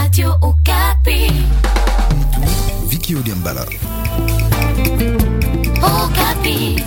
Radio Okapi. Vicky Odiambala. Okapi.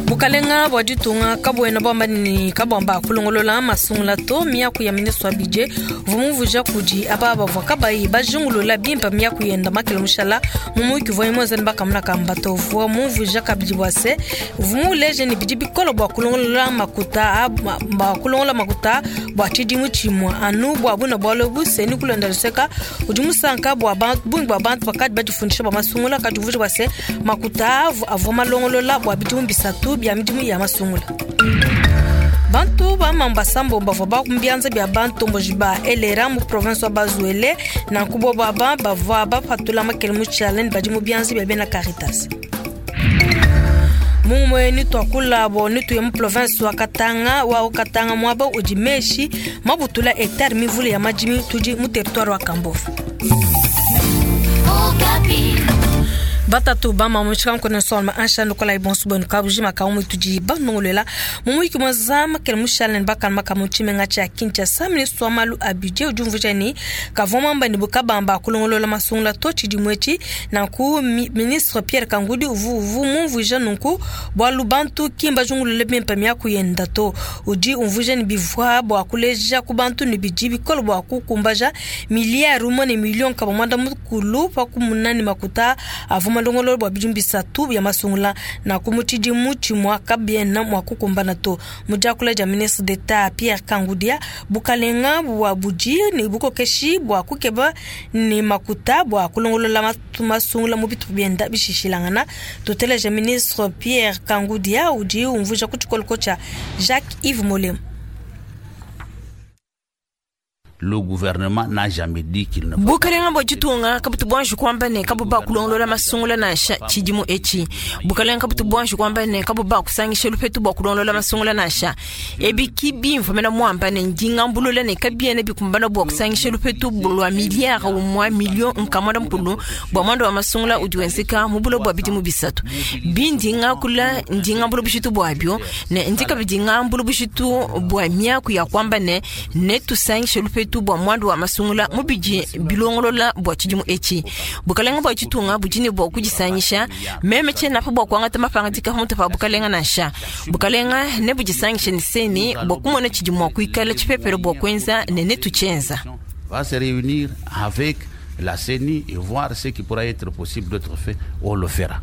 Bukalenga bua ditunga kabuena buamba ne kabuamba kulongolola masungula to miaku ya ministre wa budget uvua mumvuija kudi aba bavua kabayi bajingulula bimpe miaku yenda makele mushala mu muyuki uvuaye muenza ne bakamuna kamba to. Uvua mumvuija kabidi bua se uvua muleje ne bidi bikole bua kulongolola makuta bua kulongolola makuta bua tshidimu tshimue anu bua buna bualu ebu. Seni kulonda luseka udi musanka bua bungi bua bantu bakadi badifundisha bua masungula kadi umvuija bua se makuta avua malongolola bua bidimu bisatu bia midimu ya masungula. Bantu ba Mambasa mbomba bavua ba mu bianza bia bantomboji ba Elera mu province wa Bazuele nanku bobo aba bavua bapatula makele mu tshiala ne badi mu bianza bia bena Caritas. Mumue ni tuakula bo ni tuye mu province wa Katanga wa Katanga muaba udi meshi mabutula hectare mivule ya madimi tudi mu territoire wa Kambove. Batatu ba mamu tshika nkone solma ansha ndokola ibonso bwenu kabujima ka umu tudi banongolela mumuyiki mwa zama kele mushala ne bakana makamu tshimenga tshia Kinshasa. Ministre wa malu a budget udi umvuija ne kavua muamba ne bukabamba kulongolola masungula to tshidimu etshi. Nanku ministre Pierre Kangudi uvu mumvuija nunku bualu bantu ki mbajungulule bimpe miaku yenda to. Udi umvuija ne bivua bua kuleja ku bantu ne bidi bikole bua kukumbaja miliyari umue ne miliyo nkama muanda mukulu pa kumuna ne makuta avua malongolola bua bidimu bisatu bia masungula na ku mu tshidimu tshimue kabiena mua kukumbana to. Mu diakula dia ministre d'Etat Pierre Kangudia, bukalenga bua budi ne bukokeshi bua kukeba ne makuta bua kulongolola masungula mu bitupa bienda bishishilangana. Tuteleja ministre Pierre Kangudia udi umvuija ku tshikoloko tshia Jacques Yves Molemo. Le gouvernement n'a jamais dit qu'il ne faut Bukalenga bua ditunga kabutu buanji kuamba ne kabu ba kulongolola masungula nansha tshidimu etshi. Bukalenga kabutu buanji kuamba ne kabu ba kusangisha lupetu bua kulongolola masungula nansha. Ebi ki bimvua mena muamba ne ndingambulula ne kabiena bikumbana bua kusangisha lupetu lua miliyari umua miliyo nkama muanda mukulu bua muanda wa masungula udi wenzeka mu buloba bua bidimu bisatu. Bindi ngakula ndingambula bushitu buabio ne ndi kabidi ngambula bushitu bua miaku ya kuamba ne netusangishe lupetu bua muanda wa masungula mu bidi bilongolola bua tshidimu etshi. Bukalenga bua ditunga budi ne bua kudisangisha meme tshiena pa bua kuangata mapangadika pamutu pa bukalenga nansha. Bukalenga ne budisangishe ne seni bua kumona tshidi mua kuikala tshipepele bua kuenza ne netutshienza. Va se réunir avec la CENI et voir ce qui pourra être possible d'être fait, on le fera.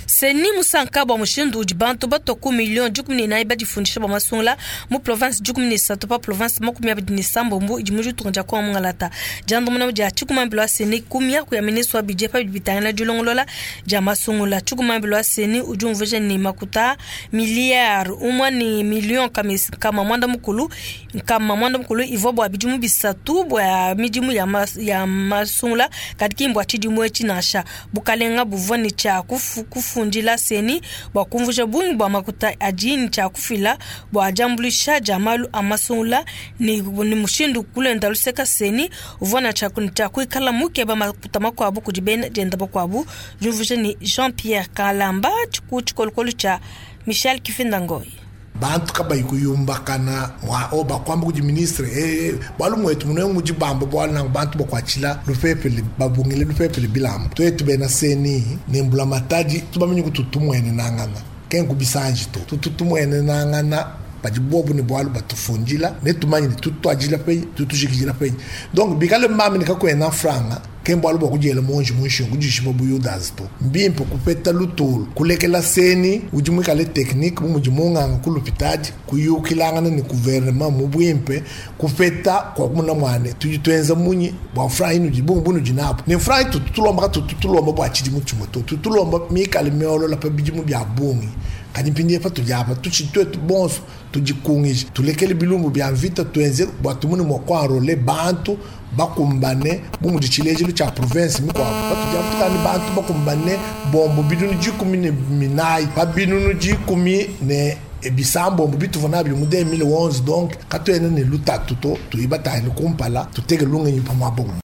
Seni musanka bua mushindu udi bantu batua ku miliyo dikumi ne inayi badifundisha bua masungula mu province 13 pa province 26 idi mu ditunga dia Kongo Mungalata. Diandamuna dia tshikumambilo wa Seni ku miaku ya ministre wa budget pa bidi bitangila dilongolola dia masungula. Tshikumambilo wa Seni udi umvuija ne makuta miliyari umue ne miliyo nkama muanda mukulu, nkama muanda mukulu ivua bua bidimu bisatu bua midimu ya ya masungula kadi ki mbua tshidimu etshi nansha. Bukalenga buvua ne tshia kufundila Seni bua kumvuija bungi bua makuta adi ne tshia kufila bua diambuluisha dia malu a masungula ne mushindu kulenda luseka Seni uvua na tshia kuikala mukeba makuta makuabu kudi bena dienda bakuabu. Diumvuija ne Jean-Pierre Kalamba ku tshikolokolo tshia Michel Kifinda-Ngoi. Bantu kabayi kuyumbakana mwa oba kwamba kudi ministre, bwalu mwetu mune mudi bamba bwalu nangu bantu bakwatshila lupepele, babungile lupepele bilamba. Twetu bena Seni ne mbula matadi tubamenye kututumwene nangana. Kenku bisanji to. Tututumwene nangana badi bobu ne bwalu batufundila ne tumanye ne tutwajila penyi, tutujikijila penyi. Donc bikale mbambi ne kakwena franga, ke mbwalu bwa kudiela monji munshingu, kudishima bu Yudas to. Mbimpe kupeta lutulu, kulekela Seni udi muikale technique bu mudi munganga ku lupitadi, kuyukilangana ne gouvernement mu bwimpe, kupeta kwa kumuna mwane. Tudi tuenza munyi bua franga inu di bungu bunu di nabu. Ne franga itu tutulomba ka tutulomba bua tshidimu tshimue to. Tutulomba mikale miolola pa bidimu bia bungi. Kadi mpindieu pa tudi apa, tutshi tuetu bonso tudikungije, tulekele bilumbu bia mvita, tuenze bua tumune mua kuenrole bantu bakumbane bu mudi tshilejilu tshia province mikuabu. Patudi apa tukani bantu bakumbane bombo binunu dikumi ne minayi, pa binunu dikumi ne bisambombo bituvua nabio mu 2011. Donc katuena ne lutatu to, tuyibatane kumpala, tuteke lungenyi pa muaba umue.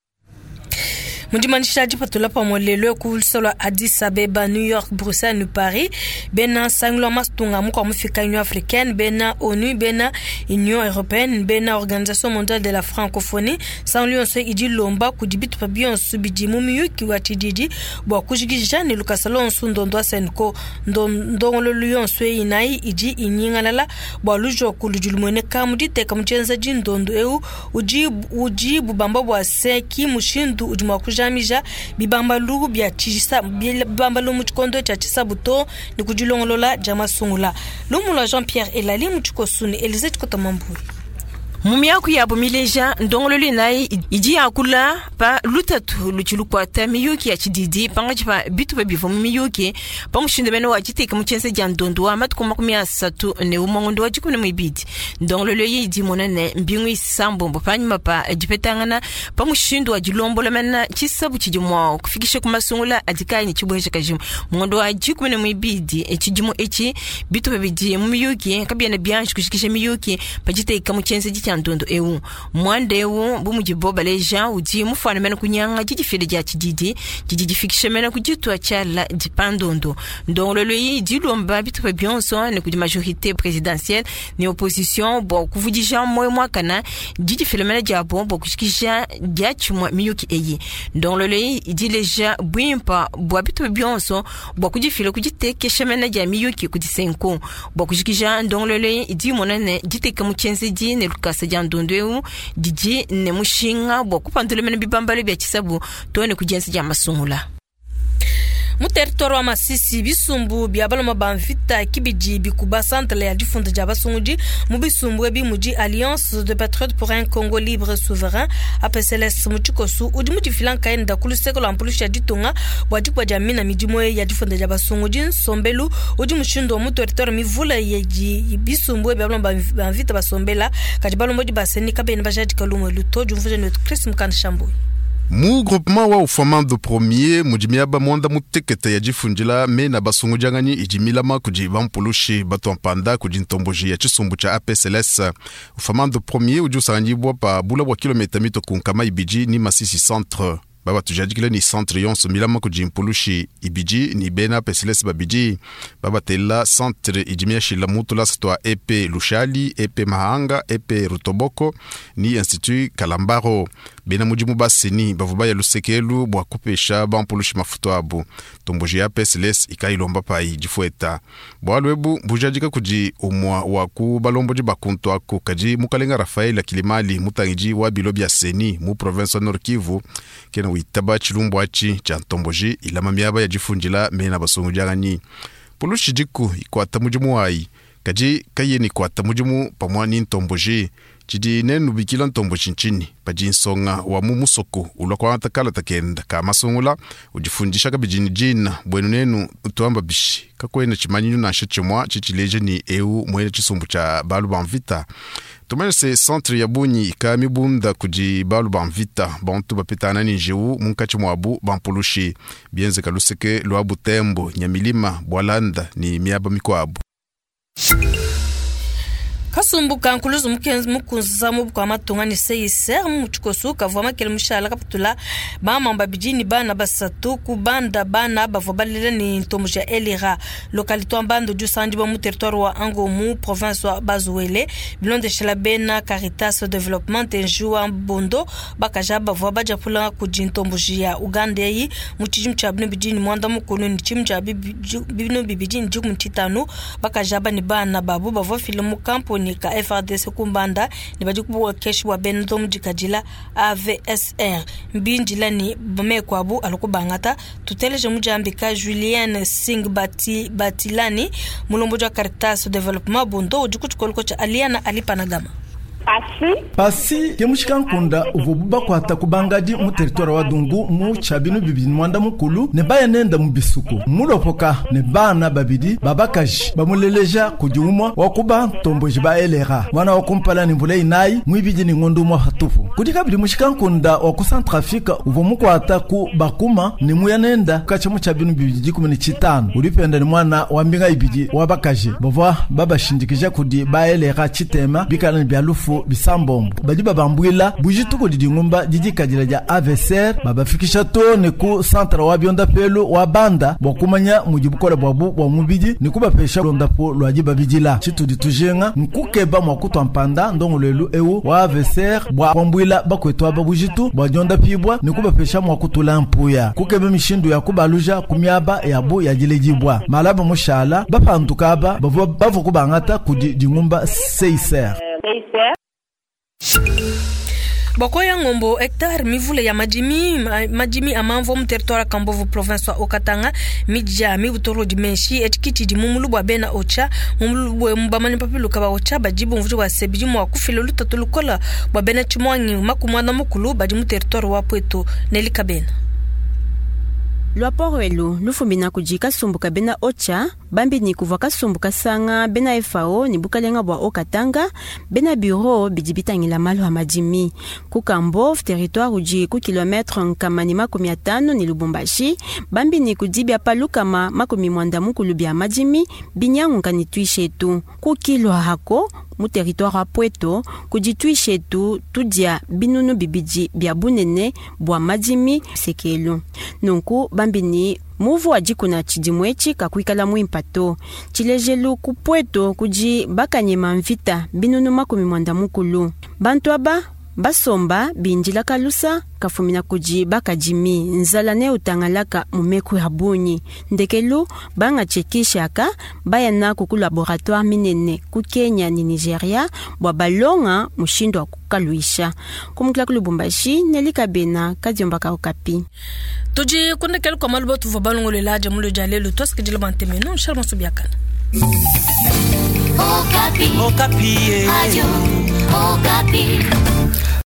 Mu dimanyisha dipatula pamue lelu ku luse lua Addis Abeba, New York, Bruxelles ne Paris, bena nsangilu wa matunga mukua mufika Union africaine, bena ONU, bena Union europeenne, bena Organisation mondiale de la francophonie, nsangilu yonso idi ilomba kudi bitupa bionso bidi mu miyuki wa tshididi bua kujikija ne lukasa luonso ndondo wa CENCO. Ndongoluelu yonso eyi inayi idi inyingalala bua lujoku ludi lumueneka mu diteka mu tshienzedi ndondo eu udi udi bubamba bua se ki mushindu udi mua kujamija bibambalu bia tshisa bibambalu mu tshikondo tshia tshisabu to ne ku dilongolola dia masungula. Lumu lua Jean Pierre Elali mu tshikosu ne Elise Tshikota Mambui. Mu miaku yabo mileja, ndongoluelu inayi idi yakula pa lutatu ludi lukuata miyuki ya tshididi pankatshi pa bitupa bivua mu miyuki pa mushindu mene wa diteka mu tshienza dia ndondu wa matuku 31 ngondo wa 12. Ndongoluelu eyi idi imona ne mbingu isambombo panyima pa dipetangana pa mushindu wa dilombola mena tshisabu tshidi mua kufikisha ku masungula adi kaayi ne tshibuejakaji mu ngondo wa 12 tshidimu etshi. Bitupa bidi mu miyuki kabiena bianji kujikija miyuki pa diteka mu tshienzedi tshia ndondo eu. Muanda eu, bu mudibo baleja, udi mufuane mene kunyanga didifila dia tshididi didi difikisha mene ku ditua tshiala pa ndondo. Ndongoluelu eyi idi ilomba bitupa bionso ne kudi majorite presidentielle ne opposition bua kuvudija muoyo muakana didifila mene diabo bua kujikija diatshimue miyuki eyi. Ndongoluelu eyi idi ileja buimpa bua bitupa bionso bua kudifila ku ditekesha mene dia miyuki kudi CENCO. Bua kujikija ndongoluelu eyi idi imona ne diteka mu tshienzedi ne lukasa dia ndondo eu didi ne mushinga bua kupandula mene bibambalu bia tshisabu too ne ku dienza dia masungula. Mu territoire wa Masisi, bisumbu bia baloma ba mvita ki bidi bikuba centre ya difunda dia basungudi. Mu bisumbu ebi mudi Alliance de Patriotes pour un Congo libre et souverain, APCLS mu tshikosu, udi mudifila nkayenda ku luseke lua mpulushi ya ditunga bua dikuba dia mina midimu eyi ya difunda dia basungudi. Nsombelu udi mushindu wa mu territoire mivule yidi bisumbu ebi bia baloma ba mvita basombela, kadi balombodi ba CENI kabena bajadika lumu elu to. Diumvuija ne wetu Chris Mukanda Shambuyi. Mu groupement wa Ufamando Premier mudi miaba muanda mutekete ya difundila mena basungudianganyi idi milama kudi bampulushi batua mpanda kudi ntomboji ya tshisumbu tshia APCLS. Ufamando Premier udi usanganyibua pa bula bua kilometa mitue ku 200 ni Masisi Centre. Babatujadikile ni centre yonso milama kudi mpulushi ibidi ni bena APCLS babidi. Babatela centre idi miashila mu tulasa tua EP Lushali, EP Mahanga, EP Rutoboko ni Institut Kalambaro. Bena mudimu ba CENI bavua baya lusekelu bua kupesha bampulushi mafutu abu. Ntomboji ya APCLS ikayilomba payi difueta. Bualu ebu bujadika kudi umua wa ku balombodi ba kuntu aku, kadi mukalenga Raphaël Kilimali mutangidi wa bilo bia CENI mu province wa Nord Kivu kena witaba tshilumbu atshi tshia ntomboji ilama miaba ya difundila mena basungudianganyi. Pulushi diku ikuata mudimu wayi, kadi kayena ikuata mudimu pamua ni ntomboji. Tshidi nenu bikila ntomboji ntshinyi? Padi nsonga wa mu musoko ulua kuangata kalata kenda ka masungula udifundisha kabidi ni dina buenu nenu tuamba bishi kakuena tshimanyinu nansha tshimua tshitshileja ni eu muena tshisumbu tshia balu ba mvita. Tumanye se centre ya bungi ika mibunda kudi balu ba mvita bantu bapetana ni njiwu munkatshi muabu bampulushi bienzeka luseke lua Butembo, Nyamilima, Bwalanda ni miaba mikuabu. Kasumbu ka nkuluzu mukunza mu bukua matunga ne CICR mu tshikosu kavua makele mushala kapatula bamama babidi ne bana basatu ku banda bana bavua balela ne ntomboji ya Elira localité wa Mbando udi usangidibua mu territoire wa Ango mu province wa Bas-Uele. Bilondeshela bena Caritas Development Nju wa Bondo, bakaja bavua badiapula kudi ntomboji ya Uganda eyi mu tshidimu tshia 2011 ne tshidimu tshia 2015. Bakaja aba ne bana babu bavua bafile mu kamponi ka FARDC ku Mbanda ne badi ku bukokeshi bua bena ndomo dikadila AVSR mbindila ne meku abu alu kubangata. Tuteleje mudiambika Julienne Singh Batilani, mulombodi wa Caritas Development Bondo, udi ku tshikoloko tshia Aliana Alipanagama. Pasi ke mushikankunda uvuabu bakuata ku bangadi mu territoire wa Dungu mu tshia binu bibidi ne muanda mukulu ne baya nenda mu bisuku mulopoka ne bana babidi ba bakaji bamuleleja kudi umua wa ku bantomboji ba LRA muana wa kumpala ne mvula inayi muibidi ne ngondo umua patupu. Kudi kabidi mushikankunda wa ku Centrafrique uvua mukuata ku bakuma ne muya nenda katshia mu tshia binu bibidi dikumi ne tshitanu udi penda ne muana wa mbinga ibidi wa bakaji bavua babashindikija kudi ba LRA tshitema bikala ne bia lufu. bifo bisambombo badi babambwila bujitu kudi dingumba didikadila dia AVCR babafikisha to ne ku centre wa biondapelo wa banda bua kumanya mudi bukola bwabu bua mubidi ne kubapesha londapo lwa dibabidila. Tshitudi tujinga nkukeba mua kutua mpanda ndongoluelu ewu wa AVCR bua kuambuila bakwetu aba bujitu bua diondapibwa ne kubapesha mua kutula mpuya, kukeba mishindu ya kubaluja ku miaba yabu ya diledibwa. Malaba mushala bapanduka aba bavua bavua kubangata kudi dingumba CICR. Boko ya ngombo hectare mivule ya madimi madimi amamvo mu territoire Kambovu province wa Okatanga midja mibutoro dimenshi etikiti di mumulu bwa bena ocha mumulu bwe mbamani papiluka ba ocha bajibu mvujo wa sebiji mwa kufila lutatu lukola bwa bena chimwangi makumwana mukulu badi mu territoire wa Pweto Nelika Bena. Lwaporo elu lufumina kudi kasumbu ka bena ocha bambi ni kuvua kasumbu kasanga bena FAO ni bukalenga bua Okatanga bena bureau bidi bitangila malu a madimi ku Kambov territoire udi ku kilometre nkama ni 50 ni Lubumbashi bambi ni kudi bia palukama 90 bia madimi binyanguka ni tuishetu ku kilwa hako mu territoire wa Pweto kudi tuishetu tudia binunu bibidi bia bunene bua madimi sekelu nunku bambini muvu wa dikuna tshidimu etshi kakuikala muimpa to. Tshilejelu ku Pweto kudi bakanyema mvita binunu 90. Bantu aba basomba bindila kalusa kafumina kudi bakadimi nzala ne utangalaka mu meku ya bungi. Ndekelu bangatshekishaka baya naku ku laboratoire minene ku Kenya ni Nigeria bua balonga mushindu wa kukaluisha. Kumukila ku Lubumbashi, Nelika Bena, Kadiomba ka Okapi. Tudi kundekela kwa malu batu balongolela aja mulo dia lelo twasikidila bantemeno Charles Subiakana. Okapi. Okapi. Radio Okapi.